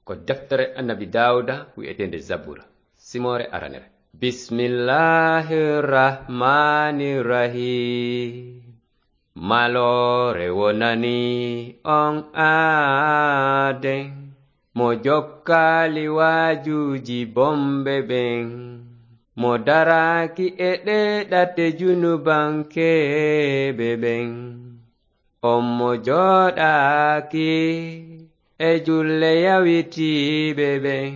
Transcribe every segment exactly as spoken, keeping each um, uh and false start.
Ko deftere Annabi Daawuda wi'eteende Zabura, simoore aranere. Bismillahir Rahmanir Rahim. Maloore wonani on aaden, mo jokkaali waajuuji bonɓe ɓen, mo daraaki e ɗee ɗate junubankeeɓe ɓen. On mo jooɗaaki e julle yawitiiɓe ɓen,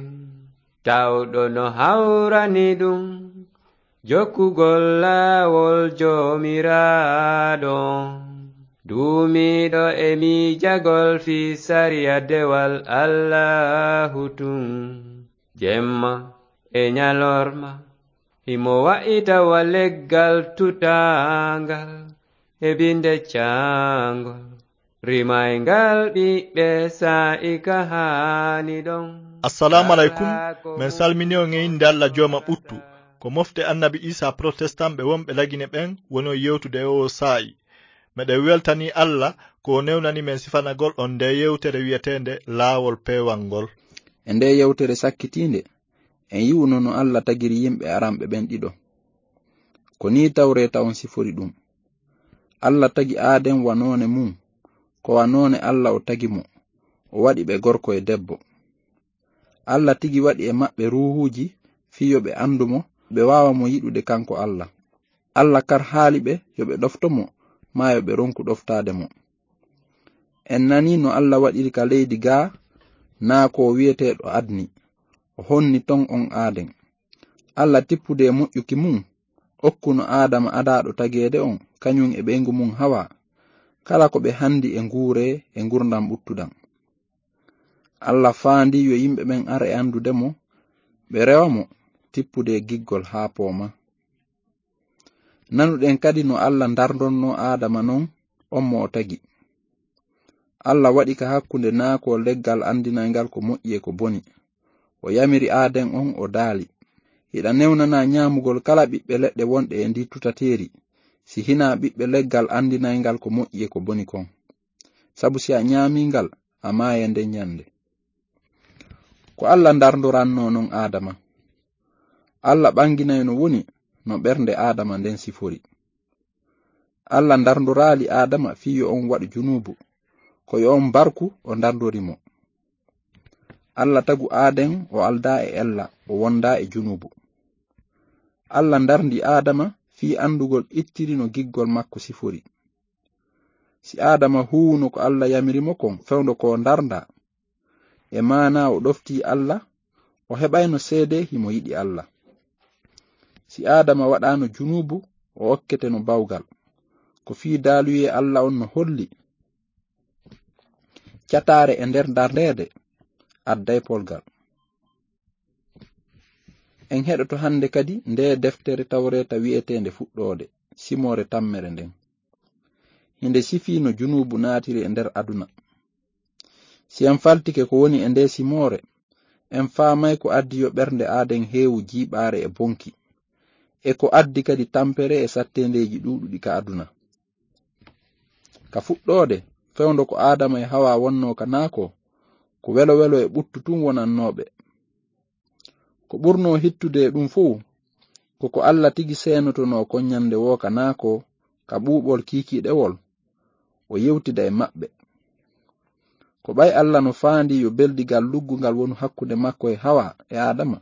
tawɗo no hawrani ɗum jokkugol laawol Joomiraaɗo. Duumiiɗo e miijagol fii sariya dewal Allaahu tun, jemma e ñalorma, himo wa'ita wa leggal tutaangal e binde caangol, rimayngal ɓiɓɓe saa'i ka haani ɗon. Assalaamu aleykum. Men salmini on e innde Alla Jooma ɓuttu. Ko mofte Annabi Iisaa protestant ɓe wonɓe Lagine ɓen woni on yewtude e oo saa'i. Meɗen weltanii Alla ko o newnani men sifanagol on ndee yewtere wi'eteende Laawol Peewal ngol. E ndee yewtere sakkitiinde, en yi'uno no Alla tagiri yimɓe aranɓe ɓen ɗiɗo. Ko nii Tawreeta on sifori ɗum. Alla tagi Aaden wa noone mun, ko wa noone Alla o tagi mo, o waɗi ɓe gorko e debbo. Alla tigi waɗi e maɓɓe ruuhuuji fii yo ɓe anndu mo, ɓe waawa mo yiɗude kanko Alla. Alla kar haali ɓe yo ɓe ɗofto mo, maa yo ɓe ronku ɗoftaade mo. En nanii no Alla waɗiri ka leydi gaa naakoo wi'eteeɗo Adni, o honni ton on Aaden. Alla tippude e moƴƴuki mun, okkuno Aadama adaaɗo tageede on, kañun e ɓeyngu mun Hawaa, kala ko ɓe hanndi e nguuree e ngurndan ɓuttudan. Alla faandii yo yimɓe ɓen ar e anndude mo, ɓe rewa mo, tippude e giggol haa poomaa. Nanuɗen kadi no Alla ndarndonnoo Aadama non, on mo o tagi. Alla waɗi ka hakkunde naakoo leggal anndinayngal ko moƴƴi e ko boni. O yamiri Aaden on, o daali, "Hiɗa newnanaa ñaamugol kala ɓiɓɓe leɗɗe wonɗe e ndii tutateeri, si hinaa ɓiɓɓe leggal anndinayngal ko moƴƴi e ko boni kon. Sabu si a ñaamii ngal, a maayay nden ñannde." Ko Alla ndarndorannoo non Aadama. Alla ɓanginay no woni no ɓernde Aadama nden sifori. Alla ndarndoraali Aadama fii yo on waɗu junuubu, ko yo on barku o ndarndori mo. Alla tagu Aaden o aldaa e ella, o wondaa e junuubu. Alla ndarndi Aadama fii anndugol ittiri no giggol makko sifori. Si Aadama huuwuno ko Alla yamiri mo kon fewndo ko o ndarndaa, e maanaa o ɗoftii Alla, o heɓayno seedee himo yiɗi Alla. Si Aadama waɗaano junuubu, o okketeno bawgal. Ko fii daaluyee Alla on no holli cataare e nder ndarndeede adday polgal. En heɗoto hannde kadi ndee deftere Tawreeta wi'eteende Fuɗɗoode, simoore tammere nden. Hinde sifii no junuubu naatiri e nder aduna. Si en faltike ko woni e ndee simoore, en faamay ko addi yo ɓernde Aaden heewu jiiɓaare e bonki, e ko addi kadi tampere e satteendeeji ɗuuɗuɗi ka aduna. Ka fuɗɗoode, fewndo ko Aadama e Hawaa wonnoo ka naakoo, ko welo-welo e ɓuttu tun wonannoo ɓe. Ko ɓurnoo hittude e ɗun fow, ko ko Alla tigi seenotonoo kon ñande woo ka naakoo, ka ɓuuɓol kiikiiɗewol, o yewtida e maɓɓe. Ko ɓay Alla no faandii yo beldigal luggungal wonu hakkunde makko e Hawaa e Aadama,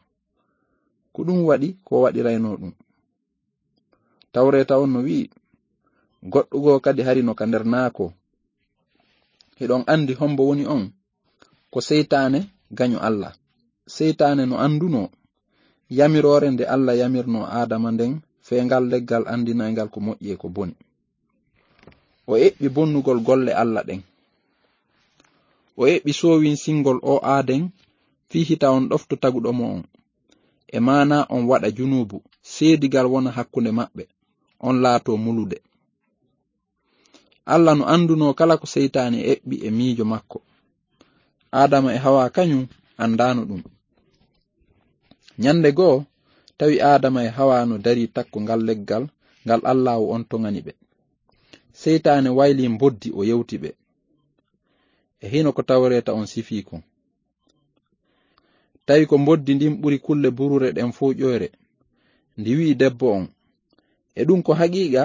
ko ɗun waɗi ko o waɗiraynoo ɗun. Tawreeta on no wi'i, "Goɗɗo goo kadi hari no ka nder naakoo." Hiɗon andi hombo woni on? Ko seytaane gaño Alla. Seytaane no andunoo yamiroore nde Alla yamirnoo Aadama nden fee ngal leggal andinayngal ko moƴƴi e ko boni. O eɓɓi bonnugol golle Alla ɗen. O eɓɓi soowinsingol oo aaden fii hita on ɗofto taguɗo mo on. E maanaa on waɗa junuubu, seedigal wona hakkunde maɓɓe, on laatoo mulude. Alla no andunoo kala ko seytaane eɓɓi e miijo makko. Aadama e Hawaa kañun andaano ɗun. Ñande goo, tawi Aadama e Hawaa no darii takko ngal leggal ngal Allaahu on toŋani ɓe. Seytaane waylii mboddi o yewti ɓe. E hino ko Tawreeta on sifii kon. Tawi ko mboddi ndin ɓuri kulle buruure ɗen fow ƴoyre. Ndi wi'i debbo on, e ɗum ko haqiiqa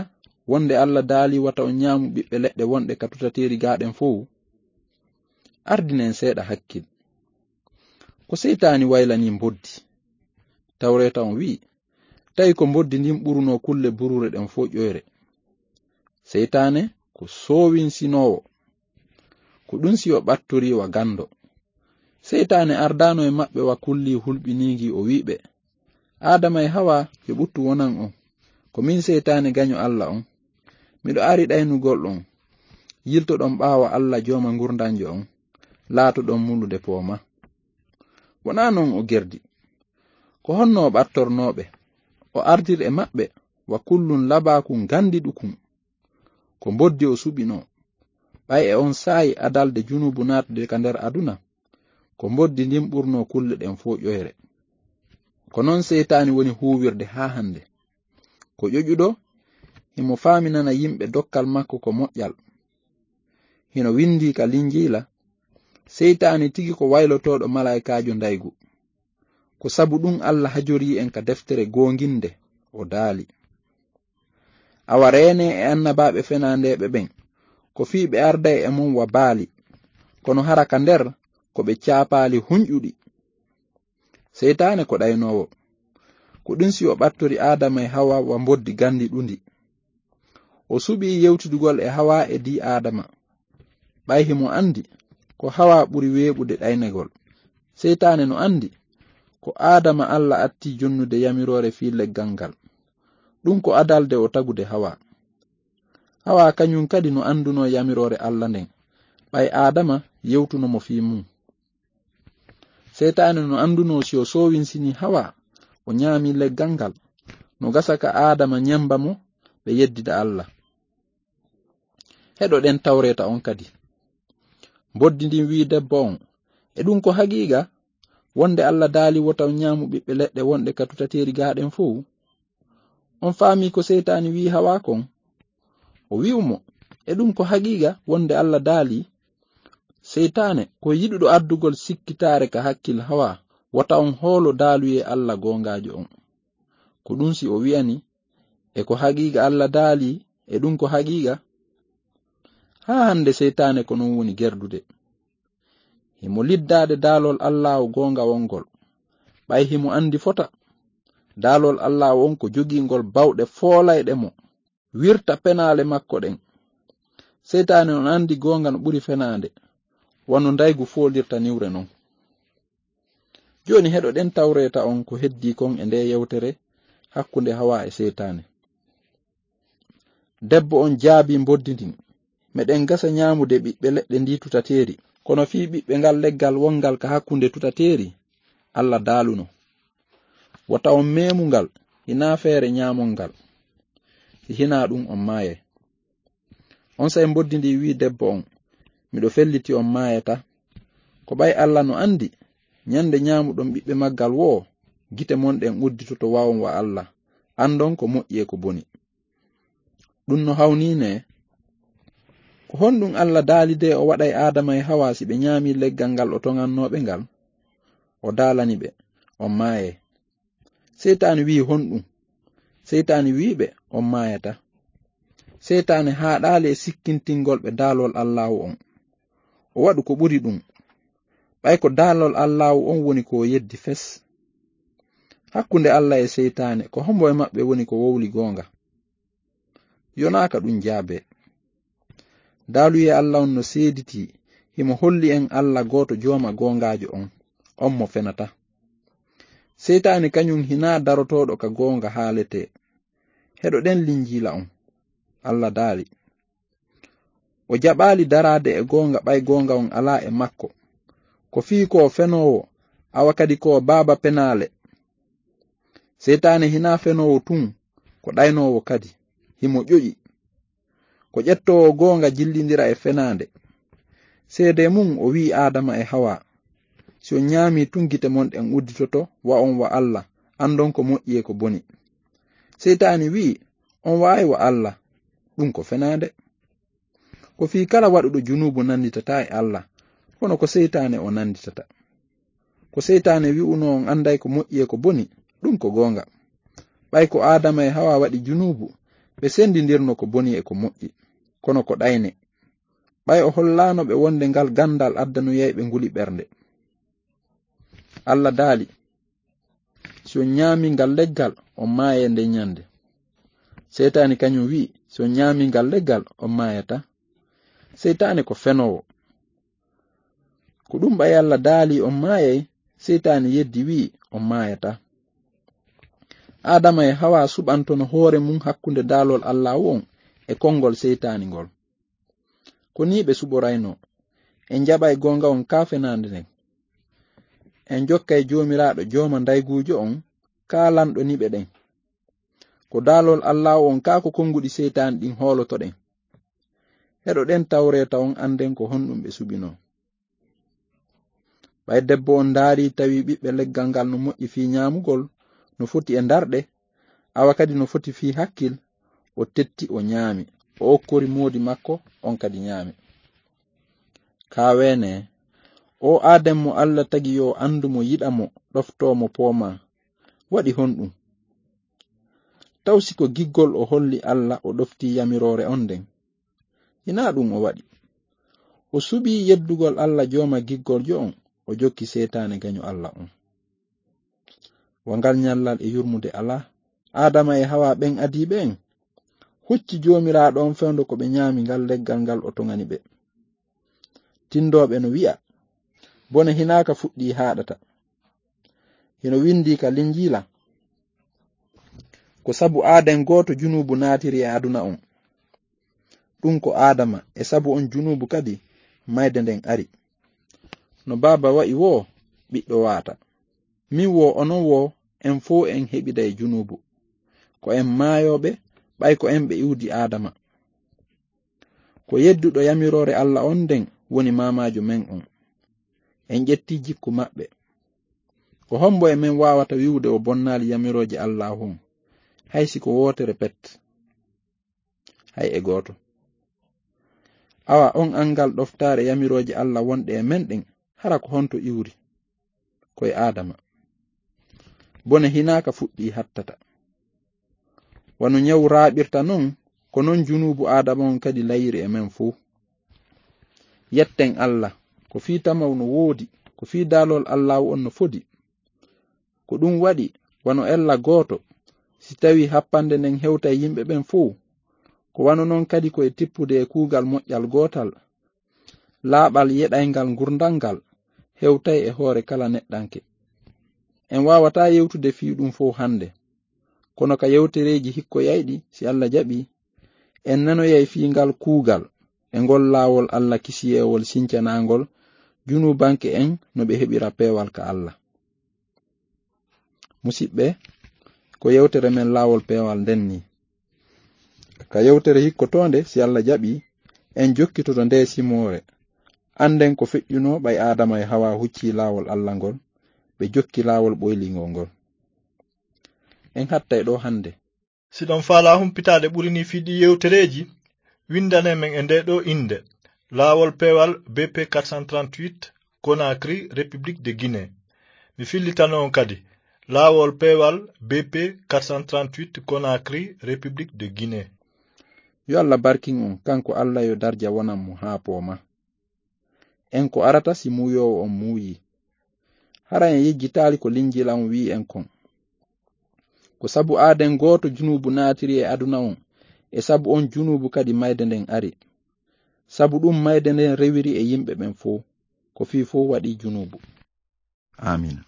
wonde Alla daali wata on ñaamu ɓiɓɓe leɗɗe wonɗe ka tutateeri gaa ɗen fow? Ardinen seeɗa hakkil. Ko seytaani waylanii mboddi. Tawreeta on wi'i, tawi ko mboddi ndin ɓurunoo kulle buruure ɗen fow ƴoyre. Seytaane ko soowinsinoowo. Ko ɗum si o ɓattorii wa ganndo. Seytaane ardaano e maɓɓe wa kulli hulɓiniigi o wi'i ɓe, Aadama e Hawa yo ɓuttu wonan on. Ko min seytaane gaño Alla on. Miɗo ari ɗaynugol on. Yiltoɗon ɓaawo Alla jooma ngurndanjo on. Laatoɗon mulude pooma. Wonaa non o gerdi. Ko honno o ɓattornooɓe? O ardir e maɓɓe wa kullun labaaku ngandiɗukun. Ko mboddi o suɓinoo. Ɓay e on saa'i adalde junuubu naatude ka nder aduna, ko mboddi ndin ɓurnoo kulle ɗen fow ƴoyre. Ko non seytaani woni huuwirde haa hande. Ko ƴoƴuɗo, himo faaminana yimɓe dokkal makko ko moƴƴal. Hino windii ka Linjiila, seytaani tigi ko waylotooɗo malaa'ikaajo ndaygu. Ko sabu ɗum Alla hajorii en ka deftere goonginde, o daali, awa reenee e annabaaɓe fenaandeeɓe ɓen, ko fii ɓe arday e mon wa baali, kono hara ka nder ko ɓe caapaali hunƴuɗi. Seytaane ko ɗaynoowo. Ko ɗum si o ɓattori Aadama e Hawa wa mboddi gandiɗundi. O suɓii yewtidugol e Hawa e dii Aadama. Ɓay himo andi ko Hawa ɓuri weeɓude ɗaynegol. Seytaane no andi ko Aadama Alla atti jonnude yamiroore fii leggal ngal. Ɗum ko adalde o tagude Hawa. Hawa kañum kadi no andunoo yamiroore Alla nden. Ɓay Aadama yewtuno mo fii mum. Seytaane no andunoo si o soowinsinii Hawa, o ñaami leggal ngal, no gasa ka Aadama ñemba mo, ɓe yeddida Alla. Heɗoɗen tawreeta on kadi. Mboddi ndin wi'i debbo on, e ɗum ko haqiiqa, wonde Alla daali wota on ñaamu ɓiɓɓe leɗɗe wonɗe ka tutateeri gaa ɗen fow? On faamii ko seytaani wi'i Hawa kon? O wi'u mo, e ɗum ko haqiiqa wonde Alla daali? Seytaane ko yiɗuɗo addugol sikkitaare ka hakkil Hawa, wota on hoolo daaluyee Alla goongaajo on. Ko ɗum si o wi'ani, e ko haqiiqa Alla daali, e ɗum ko haqiiqa? Haa hande seytaane ko non woni gerdude. Himo liddaade daalol Allaahu goongawol ngol. Ɓay himo andi fota. Daalol Allaahu on ko jogiingol bawɗe foolayɗe mo. Wirta penaale makko ɗen. Seytaane on andi goonga no ɓuri fenaande. Wano ndaygu foolirta niwre non. Jooni heɗoɗen tawreeta on ko heddii kon e nde yewtere hakkunde Hawa e seytaane. Debbo on jaabii mboddi ndin, meɗen gasa ñaamude ɓiɓɓe leɗɗe ndi tutateeri, kono fii ɓiɓɓe ngal leggal wongal ka hakkunde tutateeri, Alla daaluno, wota on meemu ngal, hinaa feere ñaamon ngal. Si hinaa ɗum on maayay. Onsay mboddi ndi wi'i debbo on, miɗo felliti on maayata. Ko ɓay Alla no andi, ñande ñaamuɗon ɓiɓɓe maggal woo, gite mon ɗen udditoto wa on wa Alla, andon ko moƴƴi e ko boni. Ɗum no hawnii ne? Ko honɗum Alla daali de o waɗay Aadama e Hawa si ɓe ñaami leggal ngal o toŋannooɓe ngal? O daalani ɓe, on maayay. Seytaani wi'i honɗum? Seytaani wi'i ɓe, on maayata. Seytaane haaɗaali e sikkintingol ɓe daalol Allaahu on. O waɗu ko ɓuri ɗum. Ɓay ko daalol Allaahu on woni ko o yeddi fes. Hakkunde Alla e seytaane, ko hombo e maɓɓe woni ko wowli goonga? Yonaaka ɗum jaabee. Daaluyee Alla on no seeditii, himo holli en Alla gooto jooma goongaajo on, on mo fenata. Seytaane kañum hinaa darotooɗo ka goonga haaletee. Heɗoɗen Linjiila on. Alla daali, o jaɓaali daraade e goonga ɓay goonga on alaa e makko. Ko fii ko o fenoowo, awa kadi ko o baaba penaale. Seytaane hinaa fenoowo tun, ko ɗaynoowo kadi. Himo ƴoƴi. Ko ƴettoowo goonga jillindira e fenaande. Seedee mun o wi'i Aadama e Hawa, si on ñaamii tun gite mon ɗen udditoto, wa on wa Alla, andon ko moƴƴi e ko boni. Seytaani wi'i, on wa'ay wa Alla, ɗum ko fenaande. Ko fii kala waɗuɗo junuubu nanditataa e Alla, kono ko seytaane o nanditata. Ko seytaane wi'uno on anday ko moƴƴi e ko boni, ɗum ko goonga. Ɓay ko Aadama e Hawa waɗi junuubu, ɓe sendindirno ko boni e ko moƴƴi, kono ko ɗayne. Ɓay o hollaano ɓe wonde ngal gandal addanuyay ɓe nguli ɓernde. Alla daali, "Si on ñaami ngal leggal, on maayay nden ñande." Seytaani kañum wi'i, "Si on ñaami ngal leggal, on maayata." Seytaane ko fenoowo. Ko ɗum ɓay Alla daali on maayay, seytaani yeddi wi'i on maayata. Aadama e Hawa suɓantono hoore mum hakkunde daalol Allaahu on e konngol seytaani ngol. Ko nii ɓe suɓoraynoo, "En jaɓay goonga on kaa fenaande nden. En jokkay Joomiraaɗo jooma ndayguujo on kaa lanɗo niɓe ɗen. Ko daalol Allaahu on kaa ko konnguɗi seytaani ɗin hoolotoɗen. Heɗoɗen tawreeta on annden ko honɗum ɓe suɓinoo." Ɓay debbo on ndaari tawi ɓiɓɓe leggal ngal no moƴƴi fii ñaamugol, no foti e ndarɗe, awa kadi no foti fii hakkil, o tetti o ñaami, o okkori moodi makko, on kadi ñaami. Kaa weene, o Aadama mo Alla tagi yo anndu mo, yiɗa mo, ɗoftoo mo, poomaa, waɗi honɗum? Taw si ko giggol o holli Alla, o ɗoftii yamiroore on nden? Hinaa ɗum o waɗi. O suɓii yeddugol Alla jooma giggoljo on, o jokki seytaane gaño Alla on. Wa ngal ñallal e yurmude alaa, Aadama e Hawa ɓen adiiɓe en, hucci Joomiraaɗo on fewndo ko ɓe ñaami ngal leggal ngal o toŋani ɓe. Tindooɓe no wi'a, "Bone hinaaka fuɗɗii haaɗata." Hino windii ka Linjiila, "Ko sabu aaden gooto junuubu naatiri e aduna on." Ɗum ko Aadama, e sabu on junuubu kadi mayde nden ari. No baaba wa'i woo, ɓiɗɗo waata. Min woo, onon woo, en fow en heɓiday junuubu. Ko en maayooɓe, ɓay ko en ɓe iwdi Aadama. Ko yedduɗo yamiroore Alla on nden woni maamaajo men on. En ƴetti jikku maɓɓe. Ko hombo e men waawata wi'ude o bonnaali yamirooje Allaahu on, hay si ko wootere pet? Hay e gooto. Awa on angal ɗoftaare yamirooje Alla wonɗe e men ɗen, hara ko honto iwri? Ko e Aadama. Bone hinaaka fuɗɗii hattata. Wano ñawu raaɓirta non, ko non junuubu Aadama on kadi layiri e men fow. Yetten Alla, ko fii tamaw no woodi, ko fii daalol Allaahu on no fodi. Ko ɗum waɗi, wano ella gooto, si tawii happande nden hewtay yimɓe ɓen fow, ko wano non kadi ko e tippude e kuugal moƴƴal gootal, laaɓal yeɗayngal ngurndan ngal hewtay e hoore kala neɗɗanke. En waawataa yewtude fii ɗum fow hannde, kono ka yewtereeji hikkoyayɗi, si Alla jaɓii, en nanoyay fii ngal kuugal e ngol laawol Alla kisiyeewol sincanaangol junuubanke en no ɓe heɓira peewal ka Alla. Musiɓɓe, ko yewtere men laawol peewal nden nii. Ka yewtere hikkotoonde, si Alla jaɓii, en jokkitoto nde simoore. Annden ko feƴƴunoo ɓay Aadama e Hawa huccii laawol Alla ngol, ɓe jokki laawol ɓoyliingol ngol. En hattay ɗoo hannde. Si ɗon faalaa humpitaade ɓuri nii fii ɗii yewtereeji, winndane men e ndee ɗoo innde, Laawol Peewal B P quatre cent trente-huit, Conakry, République de Guinée. Mi fillitano on kadi, Laawol Peewal B P quatre cent trente-huit, Conakry, République de Guinée. Yo Alla barkin on, kanko Alla yo darja wonan mo haa pooma. En ko arata si muuyoowo on muuyii. Hara en yejjitaali ko Linjiila on wi'i en kon. Ko sabu aaden gooto junuubu naatiri e aduna on, e sabu on junuubu kadi mayde nden ari. Sabu ɗum mayde nden rewiri e yimɓe ɓen fow, ko fii fow waɗii junuubu. Aamiina.